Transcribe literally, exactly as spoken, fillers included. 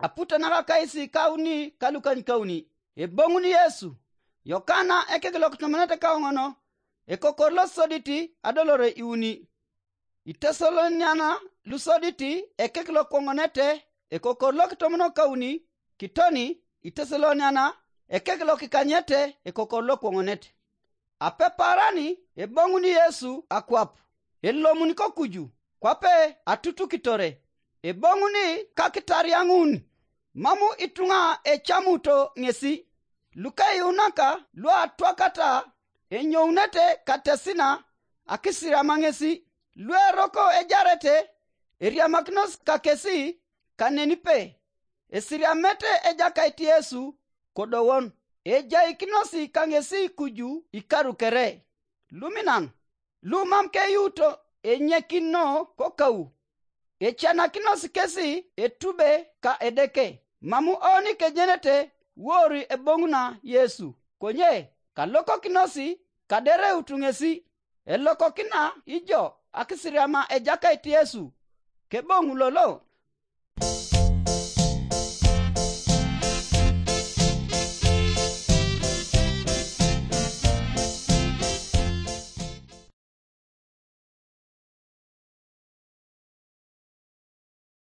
Aputanaka kaisi kauni kalukanykauni. Eboŋun Yesu. Yokana ekek lokitomonete kaoŋono, ekokor losodit adolore iuni. Itesaloniana lusodit ekek lokwoŋonete ekokor lokitomonokauni, kitoni Itesaloniana ekek lokikanyete ekokor lokwoŋonete. Apeparani eboŋuni Yesu akwap, elomun kokuju, kwape atutukitore, eboŋuni kakitariaŋun, mam ituŋa ecamuto ŋesi, lukeyuunaka luatwakata enyounete katesina akisiriama ŋesi, lueroko ejarete eriamakinos kakesi kanenipe, esiriamete Ejakait Yesu kodowon, ejaikinosi kaŋesi kuju ikaru kere. Luminan, lumam keyuuto enyekino kokau, ecanakinos kesi etube ka Edeke, mam oni kejenete wori eboŋuna Yesu, konye kalokokinosi kadereut ŋesi. Elokokina ijo akisiriama Ejakait Yesu, keboŋ lolo